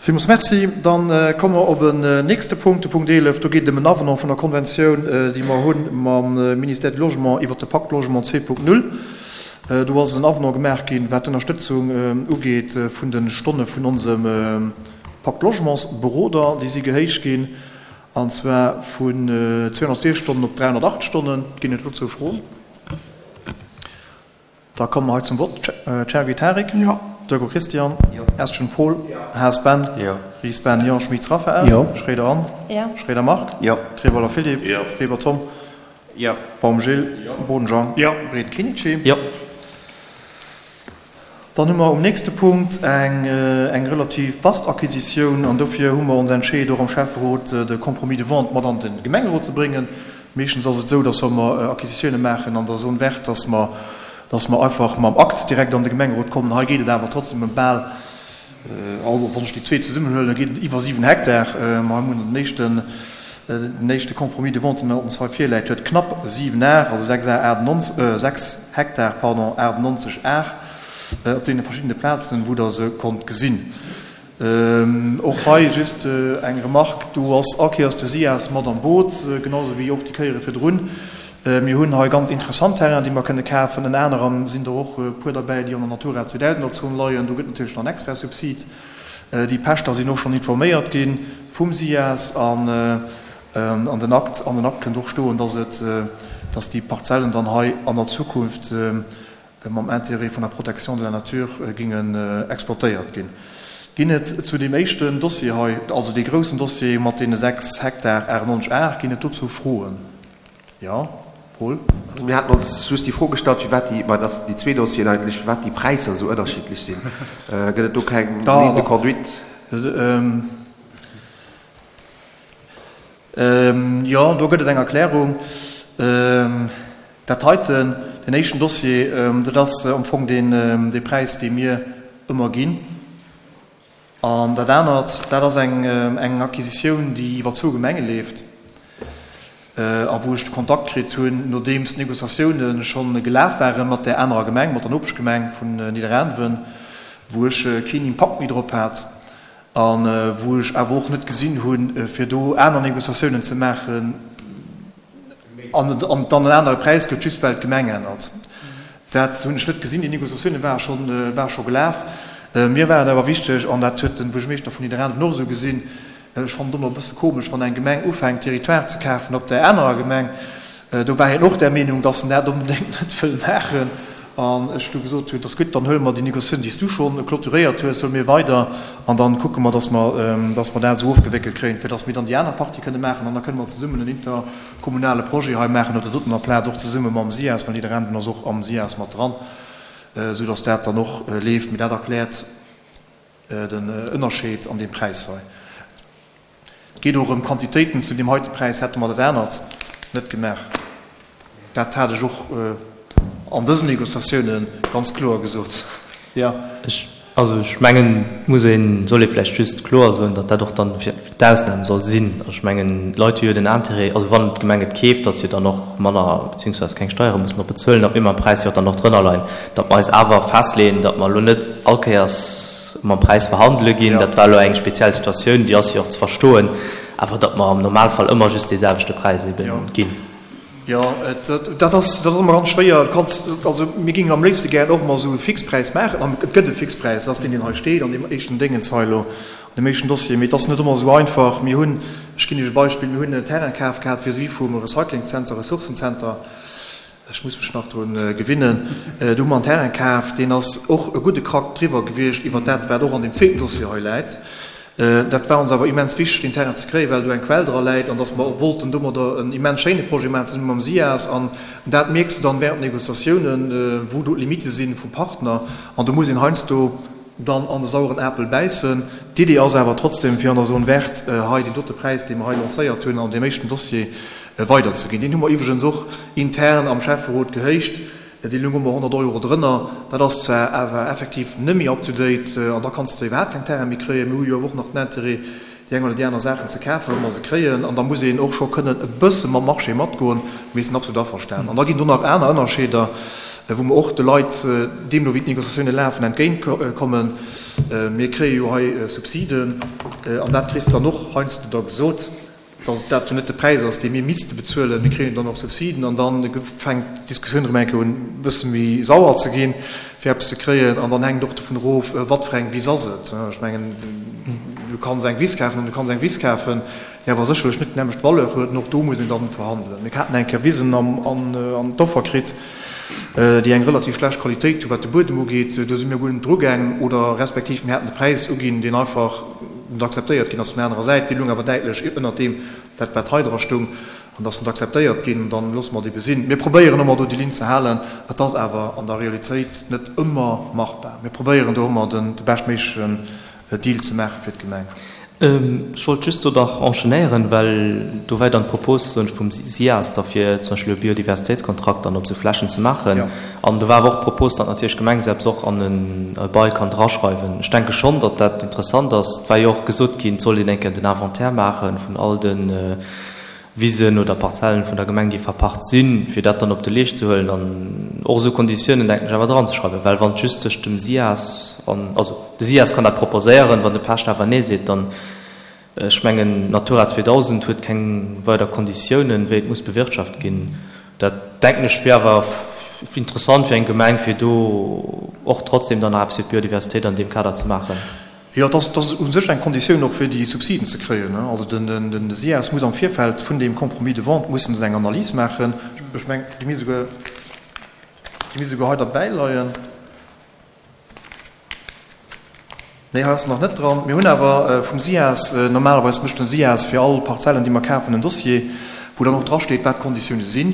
Villmools Merci. Dann komme mer op en nächste Punkt, de Punkt 11. Do geet et ëm en Avenant vun der Konventioun, déi mer hu mam Ministère du Logement iwwert de Pacte Logement 2.0. Do ass en Avenant gemaach ginn, wat d'Ënnerstëtzung ugeet vun de Stonne vun onsem Pacte Logements-Beroder. Déi si gehéicht ginn, an zwar vun 206 Stonnen op 308 Stonnen. Ginn et dozou Froen? Da komme mer hei zum Vott. Cherki Tarik? Jo. Durko Christian? Jo. Estgen Paul? Jo. Haas Ben? Jo. Ries Ben? Jo. Schmitz Raphaël? Jo. Schroeder Anne? Jo. Schroeder Marc? Jo. Trevoller Philippe? Jo. Weber Tom? Jo. Baum Gilles? Jo. Boden Jean? Jo. Breden Kinichi? Jo. Dann hu mer um nächste Punkt eng eng relativ vast Acquisitioun an dofir hu mer ons entscheet, och am Schäfferot de Compromis de vente mat an de Gemengerot ze bréngen. Meeschtens ass et esou, dass wa mer Acquisitioune maachen an der Zone verte, dass mer, dass mer einfach mam Akt direkt an de Gemengerot kommen. Hei geet et awer trotzdem ëm bal, wann ech déi zwee zesummenhuelen, da geet et iwwer 7 Hektar. Mer hunn den éischten, den éischte Compromis de vente, deen ons hei virläit, huet knapp 7 Ar, also 6 Ar 98, 6 Hektar, pardon, 98 Ar op deene verschiddene Plazen, wou Der se konnt gesinn. Och hei just eng Remarque, do ass all Kéiers de SIAS mat am Boot, genau esou wéi och déi Kéiere virdrun. Mir hunn hei ganz interessant Terrainen, déi mer kënne kafen. Ënner anerem sinn der och e puer derbäi, déi an der Natura 2000 Zon leien. Do gëtt natierlech nach en extra Subsid. Déi Pächter sinn och schonn informéiert gi vum SIAS an an den Akt, an den Akt kënnt och stoen, dass et, dass déi Parzellen dann hei an der Zukunft, mam Intérêt vun der Protection de la nature gingen exploitéiert ginn. Ginn et zu deem éischten Dossier hei, also dee groussen Dossier mat deene 6 Hektar 98 Ar, ginn et dozou Froen? Jo, Paul? Also mir haten ons just déi Fro gestallt, firwat déi, mä dat sinn déi zwee Dossieren eigentlech, firwat déi Präisser esou ënnerschiddlech sinn. Gëtt et do keng Ligne de conduite? Jo, do gëtt et eng Erklärung. Dat heiten, deen éischten Dossier, dat ass am Fong deen, dee Präis, dee mir ëmmer ginn. An dat anert, dat ass eng, eng Acquisitioun, déi iwwer zwou Gemenge leeft a wou ech de Kontakt kritt hunn, nodeems d'Négociatioune scho gelaf ware mat där anerer Gemeng, mat der Nopeschgemeng vun Nidderaanwen, wou ech keen Impakt méi drop hat. A wou ech awer och net gesinn hunn, fir do aner Négociatiounen ze maachen an et dann en anere Präis gëtt, just well d'Gemeng ännert. Dat hunn ech net gesinn. Déi Négociatioune ware scho, ware scho gelaf. Mir war et awer wichteg, an dat huet de Buergermeeschter vun Nidderaanwen och esou gesinn, Ech fannen et ëmmer e bësse komesch, wann eng Gemeng ufänkt, Territoire ze kafen op där anerer Gemeng. Do war hien och där Meenung, dass en dat onbedéngt net wëll maachen. An ech du gesot hunn, et ass gutt, dann huele mer déi Négociatioun, déi s du schonn clôturéiert hues, huele mir weider an dann kucke mer, dass mer, dass mer dat esou ofgewéckelt kréien, fir dass mir dann déi aner Partie kënne maachen. An da kënne mer zesummen en interkommunale Projet hei maachen op der dotener Plaz, och zesumme mam SIAS, well Nidderaanwen ass och am SIAS mat dran, esou dass dat dann och leeft. Mee dat erkläert den Ënnerscheed an deem Präis hei. Et geet och ëm Quantitéiten. Zu deem heite Präis hätte mer dat anert net gemaach. Dat hat ech och an dësen Négociatioune ganz kloer gesot. Jo. Ech, also ech mengen, et muss een, soll ee vläicht just kloer soen, datt dat och dann fir d'Ausnam soll sinn. Ech mengen, d'Leit hu jo den Intérêt, also wann d'Gemeng et keeft, datt se jo dann och manner beziehungsweise keng Steiere mussen drop bezuelen, datt mir mam Präis jo och dann och drënner leien. Datt mer eis awer festleeën, datt mer elo net all Kéiers mam Präis verhandele ginn, dat war elo eng speziell Situatioun, déi ass jo och ze verstoen, awer datt mer am Normalfall ëmmer just dee selwechte Präis ebe ginn. Jo, dat ass, dat ass ëmmer ganz schwéier. Du kanns, also mir géingen am léifste gären och emol esou e Fixpräis maachen, an et gëtt e Fixpräis, dat ass deen, deen hei steet an deem éischten Déngens hei elo, an deem éischten Dossier. Mee et ass net ëmmer esou einfach. Mir hunn, ech ginn Iech e Beispill, mir hunn en Terrain kaf gehat vis-à-vis vum Recyclingzenter, Ressourcenzenter, Ech muss mech nach drun gewinnen. Do hu mer en Terrain kaf, deen ass och e gudde Krack driwwer gewiescht iwwer dat, wat och an deem zweeten Dossier hei läit. Dat war ons awer immens wichteg, deen Terrain ze kréien, well do eng Quell dra läit an dass mer wollten domadder en immens schéine Projet maachen zesumme mam SIAS. An dat mierks de dann während Négociatiounen, wou do d'Limite si vum Partner. An do muss een heiansdo dann an de saueren Apel bäissen. D'Idee ass awer trotzdem, fir an der Zone verte hei deen dote Präis, dee mer hei lancéiert hunn an deem éischten Dossier, weiderzeginn. Deen hu mer iwwregens och intern am Schäfferot gehéicht. Dee loung ëmmer 100 Euro drënner. Dat ass zwar awer effektiv net méi up to date an da kanns de iwwerhaapt keng Terraine méi kréien. Mir hu jo awer och nach den Intérêt, déi eng oder déi aner Saachen ze kafen, wa mer se kréien. An da muss een och scho kënnen e bësse mam Marché matgoen. Mir sinn absolut averstanen. An da ginn do nach aner Ënnerscheeder. Wou mer och de Leit, deemno wéi d'Négociatioune lafen, entgéint kommen. Mir kréie jo hei Subsiden, an dat kriss de dann och heiansdo da gesot, datt dat jo net de Präis ass, dee mir misste bezuelen. Mir kréien jo dann och Subsiden, an da fänkt d'Diskussioun erëm eng Kéier un, e bësse méi sauer ze ginn, fir eppes ze kréien. An dann hänkt et och dovun erof, wat fir eng Wiss ass et. Ech mengen, du kanns eng Wiss kafen an du kanns eng Wiss kafen, déi awer sécherlech net d'nämmlecht Valeur huet. An och do muss een dann verhandelen. Mir haten eng Kéier Wisen an d'Offer kritt, déi eng relativ schlecht Qualitéit hu wat de Buedem ugeet. Do si mir guer net drugaangen oder respektiv mir haten de Präis uginn, deen einfach net akzeptéiert ginn ass vun der anerer Säit. Déi lung awer däitlech ënnert deem, dat wat hei dra stoung, an ass net akzeptéiert ginn. Dann loosse mer et ebe sinn. Mir probéieren ëmmer do déi Linn ze halen. Et ass awer an der Realitéit net ëmmer machbar. Mir probéieren do ëmmer de beschtméiglechen Deal ze maache fir d'Gemeng. Ech wollt just do nach enchaînéieren, well do war jo dann d'Propos, soen ech, vum SIAS da fir zum Beispill e Biodiversitéitskontrakt dann op esou Flächen ze maachen. An do war awer och d'Propos, datt natierlech d'Gemeng selbst och an e Bail kann draschreiwen. Ech denke schonn, datt dat interessant ass. Et war jo och gesot ginn, et sollt een eng Kéier den Inventaire maache vun all de Wisen oder Parzellen vun der Gemeng, déi verpacht sinn, fir dat dann op de Leescht ze huelen an och esou Konditiounen, denken ech, awer dranzeschreiwen. Well wann et just tëscht dem SIAS an, also de SIAS kann dat proposéieren, wann de Pächter awer Nee seet, dann, ech mengen, Natura 2000 huet keng weider Konditiounen, wéi et muss bewirtschaft ginn. Dat, denken ech, wier awer interessant fir eng Gemeng, fir do och trotzdem dann nach eppes fir d'Biodiversitéit an deem Kader ze maachen. Jo, et ass u sech eng Konditioun och fir déi Subsiden ze kréien. Also den SIAS muss am Virfeld vun deem Compromis de vente mussen se eng Analys maachen. Ech mengen, déi misst esouguer, déi misst esouguer hei derbäi leien. Nee, hei ass se nach net dran. Mir hunn awer vum SIAS, normalerweis mécht den SIAS fir all Parzellen, déi mer kafen, en Dossier, wou dann och drasteet, wat d'Konditioune sinn.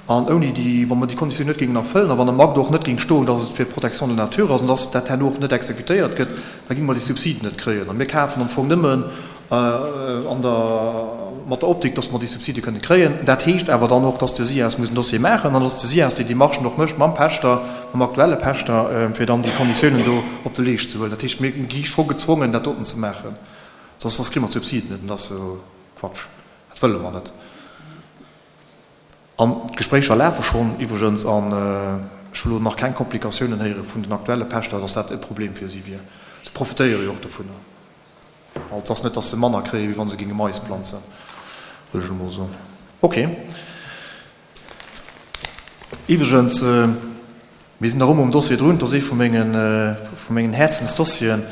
An ouni déi, wa mer déi Konditioun net géingen erfëllen a wann am Akt och net géing stoen, dass et fir d'Protection de la nature ass an dass dat herno och net exekutéiert gëtt, da géinge mer déi Subsiden net kréien. A mir kafen am Fong nëmmen an der, mat der Optik, dass mer déi Subside kënne kréien. Dat heescht awer dann och, dass de SIAS muss en Dossier maachen an dass de SIAS déi Demarchen och mécht mam Pächter, mam aktuelle Pächter, fir dann déi Konditiounen do op de Leescht ze huelen. Dat heescht, mir gi scho gezwongen, dat doten ze maachen, soss, soss kréie mer d'Subsiden net. An dat ass jo Quatsch. Dat wëlle mer net. An d'Gespréicher lafe schonn iwwregens an ech hu lo nach keng Komplikatiounen héiere vun den aktuelle Pächter, datt dat e Problem fir si wier. Se profitéiere jo och dovunner. Also et ass net, datt se manner kréie wéi wa se géinge Mais planzen, wëll ech elo mol soen. Ok. Iwwregens. Mir sinn nach ëmmer um Dossier drun. Dat ass ee vu mengen, vu mengen Häerzensdossieren.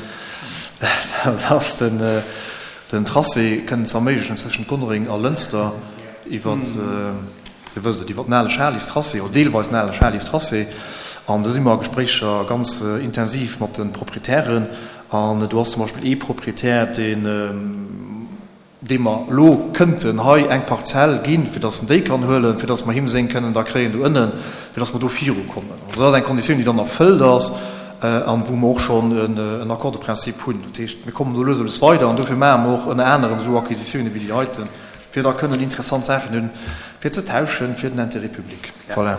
Dat ass den, den Tracé kënnen ze erméiglechen zwëschent Gonnereng a Lënster iwwer, Dir wësst et, iwwer den ale Schalistracé oder deelweis den ale Schalistracé. An do si mer a Gespréicher ganz intensiv mat de Proprietären. An do ass zum Beispill ee Proprietär, deen, deem mer elo kënnten hei eng Parzell ginn, fir dass en déi kann huelen, fir dass mer him seng kënnen da kréien do ënnen, fir dass mer do virukommen. Also dat ass eng Konditioun, déi dann erfëllt ass an wou mer och schonn en Accord de principe hunn. Dat heescht, mir kommen do lues a lues weider an dofir maache mer och ënner anerem esou Acquisitiounen wéi déi heiten, fir da kënnen interessant Saachen hunn, fir ze tauschen, fir den Intérêt public. Voilà.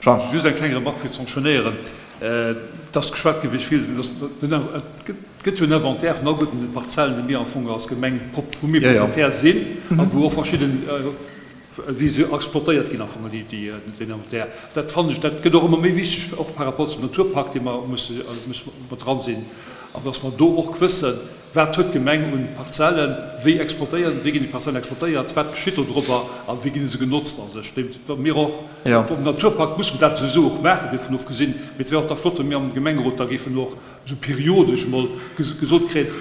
Jean. Just eng kleng Remarque fir ze enchaînéieren. Et ass geschwat ginn, wéi vill, et gëtt jo en Inventaire vun all gudden Parzellen, déi mir am Fong als Gemeng, wou mir Propriétaire sinn a wou och verschidden, wéi se exploitéiert ginn am Fong, déi, deen Inventaire. Dat fannen ech, dat gëtt och ëmmer méi wichteg, och par rapport zum Naturpakt, dee mer musse, musse mat dran sinn, an dass mer do och wëssen, Wat huet d'Gemeng un Parzellen? Wéi exploitéieren, wéi ginn déi Parzellen exploitéiert? Wat geschitt do drobber a wéi gi se genotzt a sech? Wa mir och um Naturpakt musse mer dat souwisou och maachen, dovun ofgesinn, mee et wär och da flott, wa mir am Gemengerot da géifen och esou periodesch emol gesot kréien,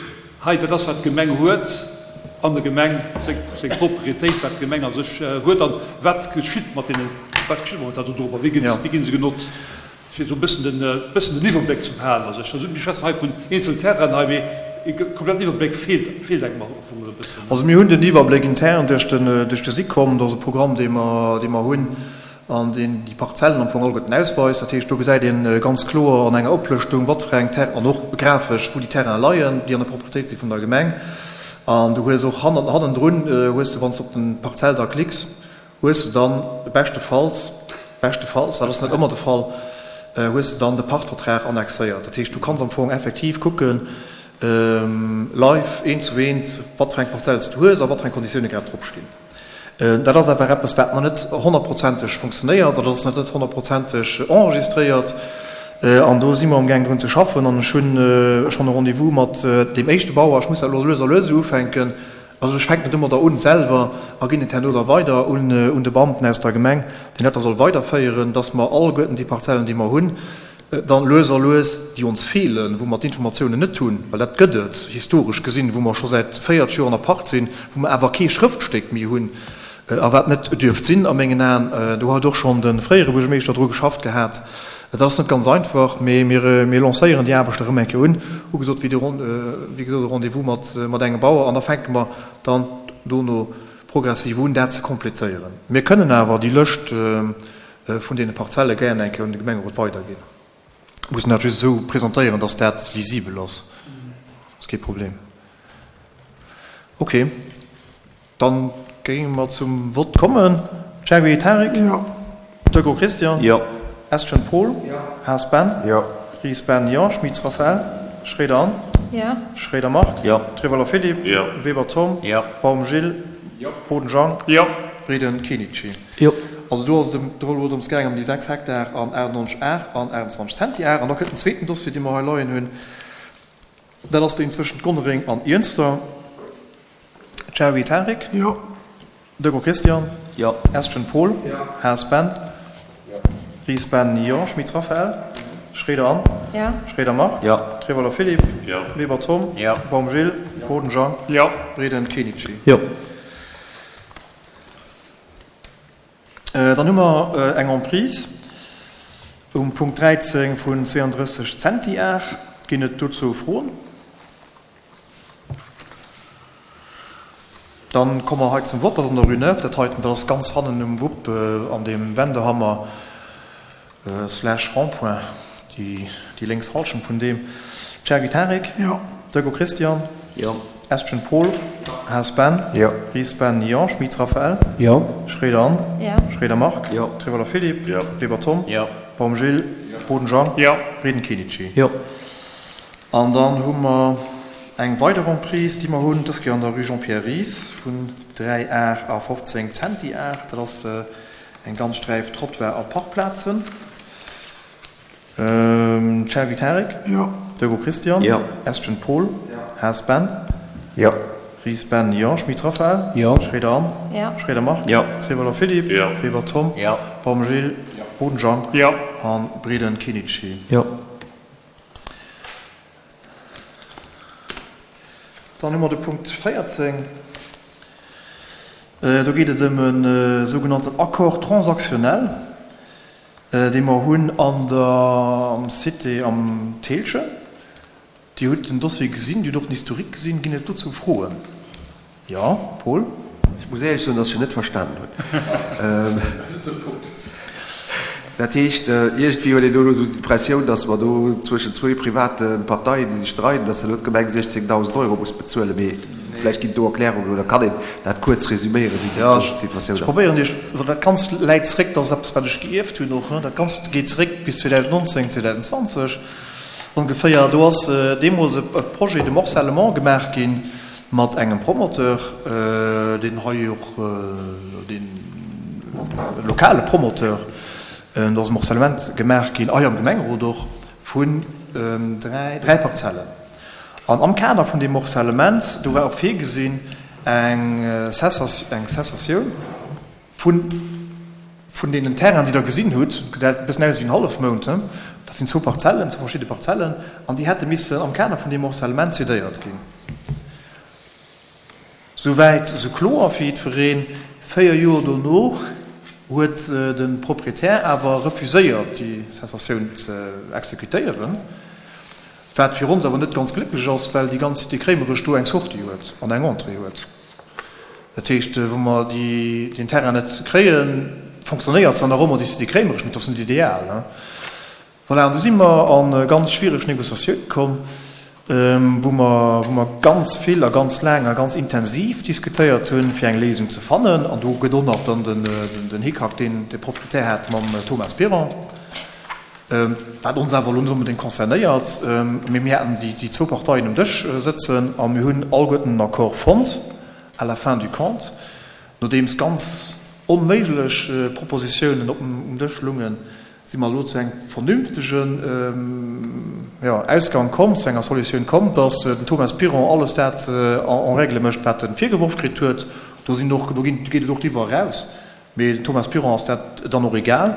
hei dat ass wat d'Gemeng huet an der Gemeng, seng Proprietéit, wat d'Gemeng a sech huet an wat geschitt mat deenen, wat geschitt momentan do drobber, wéi ginn se genotzt? Fir esou e bëssen den, bëssen den Iwwerbléck ze behalen. Also ech, mir schwätzen hei vun eenzelnen Terrainen hei, mee e kompletten Iwwerbléck feelt, feelt engem am Fong e bëssen. Also mir hunn den Iwwerbléck intern duerch den, duerch de SICOM, dat ass e Programm, dee mer, dee mer hunn an deen déi Parzellen am Fong alleguerten ausweist. Dat heescht, do gesäit ee ganz kloer an enger Oplëschtung, wat fir eng Ter-, an och grafesch, wou déi Terrainen leien, déi an der Proprietéit si vun der Gemeng. An du hues och hannen, hannendrun hues de, wann s de op den Parzell da klicks, hues de dann beschtefalls, beschtefalls, dat ass net ëmmer de Fall, hues de dann de Pachtvertrag annexéiert. Dat heescht, du kanns am Fong effektiv kucken, live, eent zu eent, wat fir eng Parzell s du hues a wat fir eng Konditioune grad drop stinn. Dat ass awer eppes, wat nach net honnertprozenteg funktionéiert, dat ass nach net honnertprozenteg enregistréiert. An do si mer amgaang drun ze schaffen. An ech hu schonn e Rendez-vous mat deem éischte Bauer. Ech muss dat elo lues a lues esou ufänken. Also ech fänken domadder un selwer a ginn et herno da weider un de Beamten aus der Gemeng, deen dat da soll weiderféieren, dass mer alleguerten déi Parzellen, déi mer hunn, dann lues a lues, déi ons feelen, wou mer d'Informatiounen net hunn, well dat gëtt et historesch gesinn, wou mer scho säit 40 Joer an der Pacht sinn, wou mer awer kee Schrëftstéck méi hunn a wat net dierft sinn a mengen Aen, do huet och schonn de fréiere Buergermeeschter dru geschafft gehat. Dat ass net ganz einfach, mee mir lancéieren déi Aarbecht erëm eng Kéier un, hu gesot, wéi gesot e Rendez-vous mat engem Bauer an da fänke mer dann dono progressiv un, dat ze complétéieren. Mir kënnen awer déi Lëscht vun deene Parzelle gären eng Kéier un de Gemengerot weiderginn. Mussen dat just esou presentéieren, dass dat lisibel ass. Ass kee Problem. Okay, dann géinge mer zum Vott kommen. Cherry Tarik? Jo. Deco Christian? Jo. Estgen Paul? Jo. Haas Ben? Jo. Ries Ben? Jo. Schmitz Raphaëlle? Schroeder Anne? Jo. Schroeder Marc? Jo. Trevoller Philippe? Jo. Weber Tom? Jo. Baum Gilles? Jo. Boden Jean? Jo. Frieden Kenichi? Jo. Also do ass et elo drëms gaangen, ëm déi 6 Hektar an 98 Ar an 28 Zentiar. An da kënnt den zweeten Dossier, dee mer hei leien hunn. Dat ass deen zwëschent Gonnereng an Iernster. Cherry Tarik? Jo. Deco Christian? Jo. Estgen Paul? Jo. Haas Ben? Jo. Ries Ben? Jo. Schmitz Raphaëlle? Schroeder Anne? Jo. Schroeder Marc? Jo. Trevoller Philippe? Jo. Weber Tom? Jo. Baum Gilles? Jo. Boden Jean? Jo. Frieden Kenichi? Jo. Dann hu mer eng Emprise um Punkt 13 vun 32 Zentiar. Ginn et dozou Froen? Dann komme mer hei zum Vott. Dat ass an der Rue Neuve, dat heiten. Dat ass ganz hannen um Wupp an deem Wendehammer slash Rond-point, déi lénks Hallschent vun deem. Cherki Tarik? Jo. Deco Christian? Jo. Estgen Paul? Jo. Haas Ben? Jo. Ries Ben? Jo. Schmitz Raphaëlle? Jo. Schroeder Anne? Jo. Schroeder Marc? Jo. Trevoller Philippe? Jo. Weber Tom? Jo. Baum Gilles? Jo. Boden Jean? Jo. Frieden Kenichi? Jo. An dann hu mer eng weider Emprise, déi mer hunn, dës Kéier an der Rue Jean-Pierre Ries vun 3 Ar a 15 Zentiar. Dat ass eng ganz Sträif Trottoir a Parkplazen. Cherki Tarik? Jo. Deco Christian? Jo. Estgen Paul? Jo. Haas Ben? Jo. Ries Ben? Jo. Schmitz Raphaëlle? Jo. Schroeder Anne? Jo. Schroeder Marc? Jo. Trevoller Philippe? Jo. Weber Tom? Jo. Baum Gilles? Jo. Boden Jean? Jo. A Frieden Kenichi? Jo. Dann hu mer de Punkt 14. Do geet et ëm e sougenannten Accord transactionnel, dee mer hunn an der, am Cité am Thälchen. Dir hutt den Dossier gesinn, Dir hutt och den Historique gesinn. Ginn et dozou Froen? Jo, Paul? Ech muss éierlech soen, dass ech en net verstanen hunn. Dat heescht, iergendwéi huet een do elo d'Impressioun, dass mer do zwëschen zwou private Parteien, déi sech streiden, dass elo d'Gemeng 16.000 Euro muss bezuelen. Mee vläicht ginn et do Erklärungen oder kann een dat kuerz resüméieren, wéi déi Situatioun ass. Ech probéieren Iech, well dat Ganzt läit zréck, dat ass eppes, wat ech gierft hunn och, dat Ganzt geet zréck bis 2019, 2020 ongeféier. Do ass deemools e Projet de morcellement gemaach ginn, Mat engem Promoteur, deen hei och, deen lokale Promoteur, do ass e Morcellement gemaach ginn, hei am Gemengerot och, vun dräi Parzellen. An am Kader vun deem Morcellement, do war och virgesinn eng Cessatioun vun, vun deenen Terrainen, déi Der gesinn hutt, gesäit e bëssen aus wéi en Hallefmound, dat sinn zwou Parzellen, zwou verschidde Parzellen, an déi hätte missen am Kader vun deem Morcellement cédéiert ginn. Souwäit esou kloer fir jiddwereen. Véier Joer dono huet de Proprietär awer refuséiert, déi Cessatioun ze exekutéieren, wat fir ons awer net ganz glécklech ass, well déi ganz Cité Kréimerech do eng Sortie huet an eng Entrée huet. Dat heescht, wa mer deen Terrain net kréien, fonctionnéiert zwar nach ëmmer déi Cité Kréimerech, mee et ass net ideal. Voilà, an du si mer a ganz schwiereg Négociatioune komm, wou mer, wou mer ganz vill a ganz laang a ganz intensiv diskutéiert hunn, fir eng Léisung ze fannen. An do gëtt och nach dann den Hickhack, deen de Proprietär hat mam Thomas Piron, wat ons awer elo net onbedéngt concernéiert. Mee mir haten déi zwou Parteien um Dësch sëtzen a mir hunn alleguerten en Accord fonnt à la fin du compte. Nodeems ganz onméiglech Propositiounen op um Dësch lungen, si mer elo zu engem vernünftegen, jo, Ausgang komm, zu enger Solutioun komm, dass den Thomas Piron alles dat en règle mécht, wat e virgeworf kritt huet. Do sinn och, do ginn, geet et och driwwer eraus. Mee dem Thomas Piron ass dat dann och egal.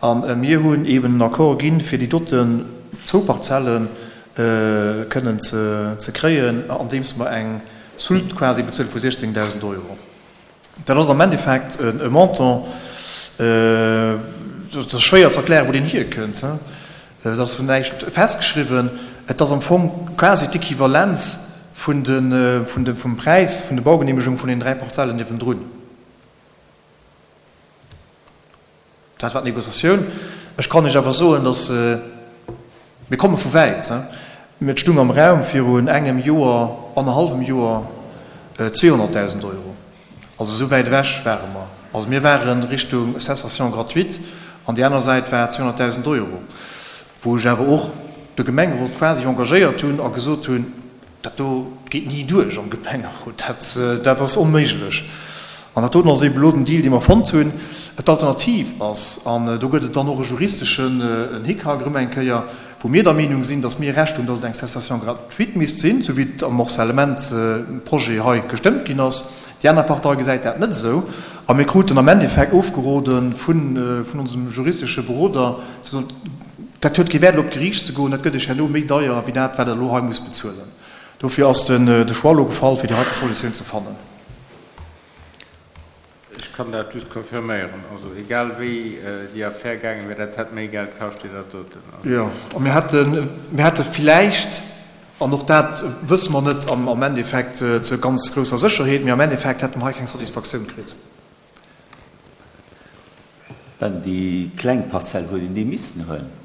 A mir hunn eeben en Accord ginn, fir déi doten zwou Parzelle kënnen ze kréien, andeems mer eng Soulte quasi bezuele vu 16.000 Euro. Dat ass am Endeffekt e Montant, dat ass schwéier ze erklären, wou deen hierkënnt. Et ass näischt festgeschriwwen. Et ass am Fong quasi d'Equivalenz vun de, vum Präis vun de Baugenehmegung vun den 3 Parzellen niewendrun. Dat war d'Négociatioun. Ech kann Iech awer soen, datt, mir komme vu wäit, et stung am Raum virun engem Joer, annerhallwem Joer 200.000 Euro. Also esou wäit ewech ware mer. Also mir ware Richtung Cessation gratuite an déi aner Säit war 200.000 Euro, wou ech awer och de Gemengerot quasi engagéiert hunn a gesot hunn, Dat do geet ni duerch am Gemengerot, dat, dat ass onméiglech. An dat doten ass eeben elo den Deal, dee mer fonnt hunn. D'Alternativ ass, an do gëtt et dann och e juristeschen en Hickhack erëm eng Kéier, wou mir der Meenung sinn, datt mir Recht hunn, datt et eng Cessation gratuite misst sinn, esou wéi et am Morcellement-Projet hei gestëmmt ginn ass. Déi aner Partei gesäit dat net esou. A mir kruten am Endeffekt ofgerode vun onsem juristesche Beroder, ze soen, Dat huet kee Wäert elo op d'Geriicht ze goen, dat gëtt Iech herno méi deier wéi dat wat Der elo hei musst bezuelen. Dofir ass de Choix elo gefall fir déi heite Solutioun ze fannen. Ech kann dat just confirméieren. Also egal wéi déi Affär gaange wär, dat hätt méi Geld kascht wéi dat doten. Jo, a mir hätten, mir hätte villäicht, an och dat wësse mer net am Endeffekt zu ganz grousser Sécherheet, mee am Endeffekt hätte mer hei keng Satisfaktioun kritt. Ben, déi kleng Parzell huet een déi missten huelen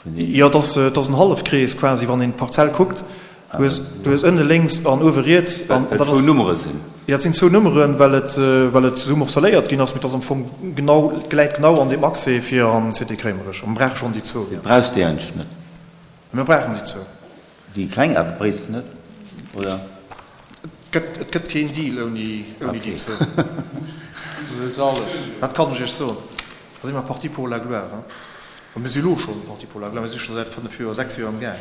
vun deenen. Jo, et ass, et ass en Hallefkrees quasi, wann een d'Parzell kuckt. Du hues, du hues ënne lénks an uewe riets an dat ass. Well et zwou Nummere sinn. Jo, et sinn zwou Nummeren, well et, well et esou morcelléiert ginn ass, mee et ass am Fong genau, et läit genau an deem Accès fir an d'Cité Kréimerech. A mer brauche schonn déi zwou, jo. Brauchs déi eigentlech net? Mir brauchen déi zwou. Déi kleng awer bréisst de net, oder? Et gëtt keen Deal ouni déi zwou. Dat kann ech Iech soen. Da si mer parti pour la gloire. A mir si elo schonn parti pour la gloire. Mir si scho säit 5 Joer, 6 Joer am Gaang.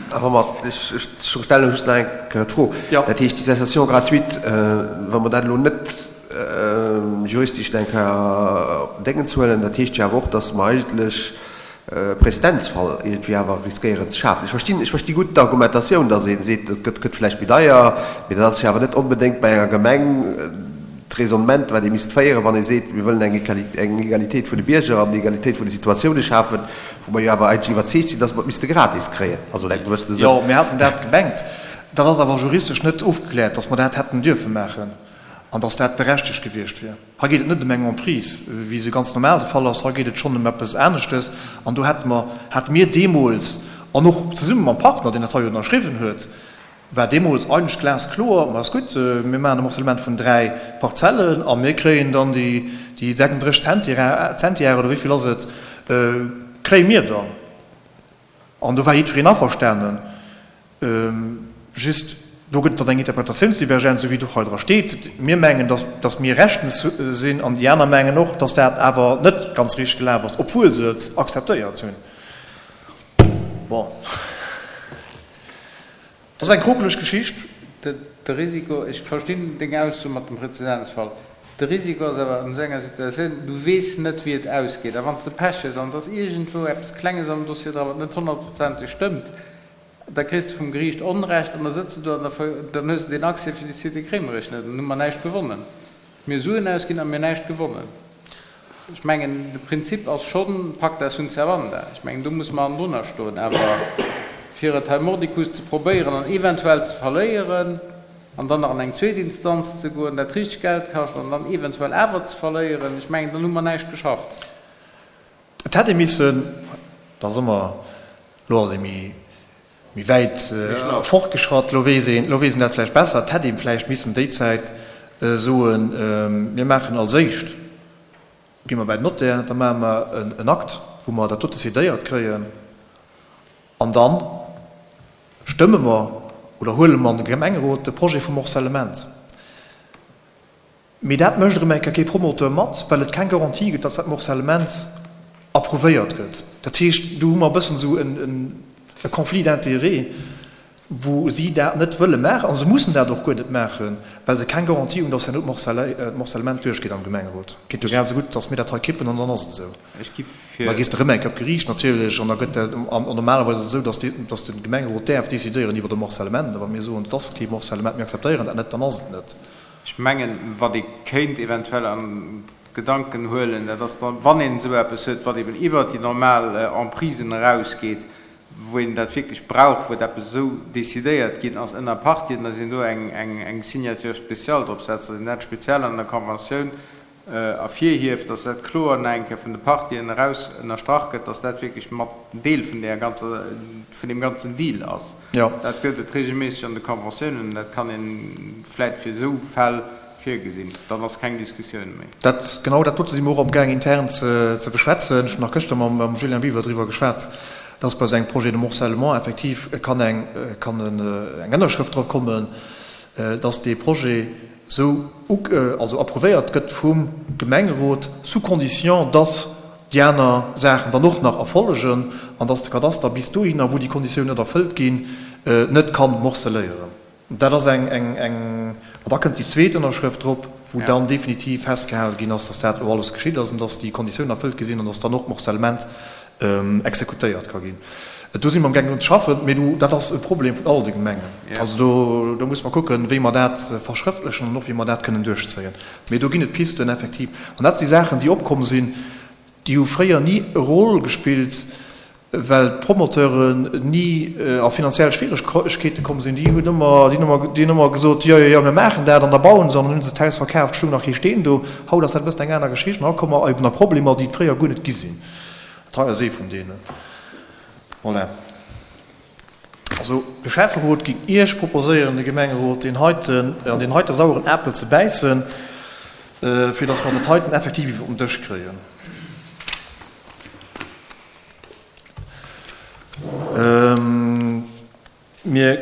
A wa mer, ech stelle just nach eng Kéier d'Fro, dat heescht déi Cessation gratuite, wa mer dat elo net juristesch eng Kéier op den Déngens huelen, dat heescht jo awer och, datt mer eigentlech Prezedenzfall iergendwéi awer riskéieren ze schafen. Ech verstinn, ech versti gutt d'Argumentatioun, datt ee seet, et gëtt, gëtt vläicht méi deier, mee dat ass jo awer net onbedéngt bei enger Gemeng d'Raisonnement, wat ee misst féieren, wann ee seet, mir wëllen eng eng Egalitéit vun de Bierger an Egalitéit vun de Situatioune schafen, wou mer jo awer eigentlech iwwerzeegt sinn, datt mer et misste gratis kréien, also an engem gewëssene Sënn. Jo, mir haten dat gemengt. Dat ass awer juristesch net ofgekläert, datt mer dat hätten dierfe maachen an datt dat berechtegt gewiescht wier. Hei geet et net ëm eng Emprise, wéi se ganz normal de Fall ass, hei geet et schonn ëm eppes aneschtes. An do hätte mer, hate mir deemools, an och zesumme mam Partner, deen dat hei jo ënnerschriwwen huet, war deemools eigentlech glaskloer, Ma ass gutt, mir maachen e Morcellement vun 3 Parzellen a mir kréien dann déi 36 Zentiare, oder wéi vill ass et, kréie mir dann. An do war jiddwereen averstanen. Just, do gëtt et dann eng Interpretatiounsdivergenz, esou wéi et och hei dra steet. Mir mengen, dass, dass mir rechtens sinn, an déi aner mengen och, dass dat awer net ganz richteg gelaf ass, obwuel se et akzeptéiert hunn. Bon, dat ass eng krokeleg Geschicht. De Risiko, ech verstinn deng Ausso mat dem Präzedenzfall, de Risiko ass awer an esou enger Situatioun, du weess net, wéi et ausgeet. A wann s de Pech hues an et ass iergendwou eppes Klenges am Dossier dran, wat net honnertprozenteg stëmmt, da kriss de vum Geriicht Onrecht an da sëtz de do an dann hues de deen Accès fir déi Cité Kremmerich net an dann hu mer näischt gewonnen. Mir hu Suen ausginn a mir näischt gewonnen. Ech mengen, de Prinzip ass schonn pacta sunt servanda. Ech mengen, do muss mer hannendrunner stoen. Awer fir et hei mordicus ze probéieren an eventuell ze verléieren an dann nach an eng zweet Instanz ze goen, dat richteg Geld kascht an dann eventuell awer ze verléieren, ech mengen, dann hu mer näischt geschafft. Et hätt ee missen, dat ass ëmmer, elo ass ee méi, méi wäit fortgeschratt, elo weess een, elo weess een dat vläicht besser, et hätt ee vläicht missen déi Zäit soen, mir maachen als éischt, gi mer bäi den Notaire, da maache mer en Akt, wou mer dat dote cédéiert kréien an da stëmme mer. Oder huele mer an de Gemengerot de Projet vum Morcellement. Mee dat mécht erëm eng Kéier kee Promoteur mat, well et keng Garantie gëtt, datt dat Morcellement approuvéiert gëtt. Dat heescht, do hu mer e bëssen esou e Conflit d'intérêts, wou si dat net wëlle maachen, a se mussen dat och guer net maachen, well se keng Garantie hunn, datt herno d'Morcellement duerchgeet am Gemengerot. Et geet jo grad esou gutt, datt mir dat hei kippen an dann ass et esou. Da gees de erëm eng Kéier op d'Geriicht natierlech an da gëtt dat, an normalerweis ass et esou, datt de Gemengerot däerf decidéieren iwwer e Morcellement. A wa mir soen, et ass kee Morcellement, mir akzeptéieren dat net, dann ass et net. Ech mengen, wat ee kéint eventuell an d'Gedanken huelen, dat ass dann, wann een esou eppes huet, wat eben iwwert déi normal Emprisen erausgeet, wou een dat wierklech brauch, wou et eppes esou decidéiert ginn ass ënner Partien, dass een do eng Signature spéciale drop setzt, dass een dat speziell an der Conventioun ervirhieft, dass dat kloer nach eng Kéier vun de Partien eraus ënnerstrach gëtt, dass dat wierklech mat Deel vun där ganzer, vun deem ganzen Deal ass. Dat gëtt et regelméisseg an de Conventiounen, dat kann ee vläit fir esou Fäll virgesinn, dann ass keng Diskussioun méi. Dat, genau dat dote si mer och amgaang intern ze beschwätzen. Ech hunn nach gëschter mam Julien Biwer driwwer geschwat, dass bei esou engem Projet de morcellement effektiv kann eng, kann eng Ënnerschrëft drop kommen, dass dee Projet esou, also approuvéiert gëtt vum Gemengerot, sous condition, dass déi aner Saachen dann och nach erfollegen an dass de Kadaster bis dohinner, wou déi Konditiounen net erfëllt ginn, net kann morceléieren. Dat ass eng, eng, eng, an da kënnt déi zweet Ënnerschrëft drop, wou dann definitiv festgehale ginn ass, dass dat elo alles geschitt ass an dass déi Konditiounen erfëllt gi sinn an dass dann och d'Morcellement exekutéiert ka ginn. Do si mer amgaangen drun ze schaffen, mee do, dat ass e Problem vun all de Gemengen. Also do, do musse mer kucken, wéi mer dat verschrëftlechen an och wéi mer dat kënnen duerchzéien. Mee do ginn et Pisten effektiv. An dat si Saachen, déi opkomm sinn, Déi hu fréier ni e Rôle gespillt, well d'Promoteuren ni a finanziell Schwieregkeete komm sinn. Déi hunn ëmmer, déi hunn ëmmer, déi hunn ëmmer gesot, jo, jo, jo, mir maachen dat an da bauen se an dann hu se d'Haus verkaaft, stoung nach kee Steen do. Haut ass dat e bëssen eng aner Geschicht an haut komme mer eben a Problemer, déi et fréier guer net gi sinn. Dat hei ass ee vun deenen. Voilà. Also, de Schäfferot géing Iech proposéieren, de Gemengerot, deen heiten, an deen heite saueren Apel ze bäissen, fir datt mer dat heiten effektiv iwwer den Dësch kréien. Mir,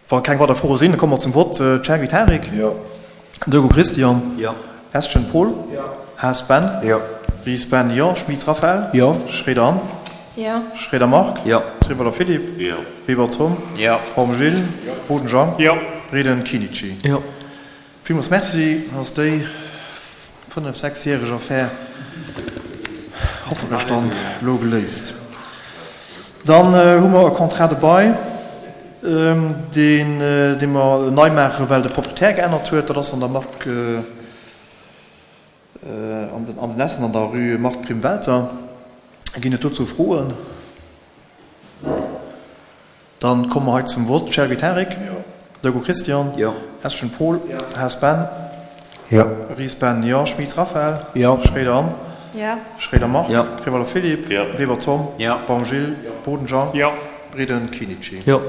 wa keng weider Froe sinn, da komme mer zum Vott. Chergui Tarik? Jo. Degout Christian? Jo. Estgen Paul? Jo. Haas Ben? Jo. Ries Ben, Jo. Schmit Raphaël? Jo. Schroeder Anne? Jo. Schroeder Marc? Jo. Trivolo Philippe? Jo. Weber Tom? Jo. Baum Gilles? Jo. Boden Jean? Jo. Reden Kinici? Jo. Villmools Merci, dann ass déi fënnef-, sechsjäreg Affär hoffentlech dann elo geléist. Dann hu mer e Contrat de bail, deen, dee mer nei maachen, well de Proprietär geännert huet. Dat ass an der Marc, an den, an den Essen an der Rue Marthe Prim-Welter. Ginn et dozou Froen? Dann komme mer hei zum Vott. Chergui Tarik? Jo. Degout Christian? Jo. Estgen Paul? Jo. Haas Ben? Jo. Ries Ben, jo. Schmit Raphaël? Jo. Schroeder Anne? Jo. Schroeder Marc? Jo. Rivoller Philippe? Jo. Weber Tom? Jo. Baum Gilles? Jo. Boden Jean? Jo. Breden Kinici? Jo.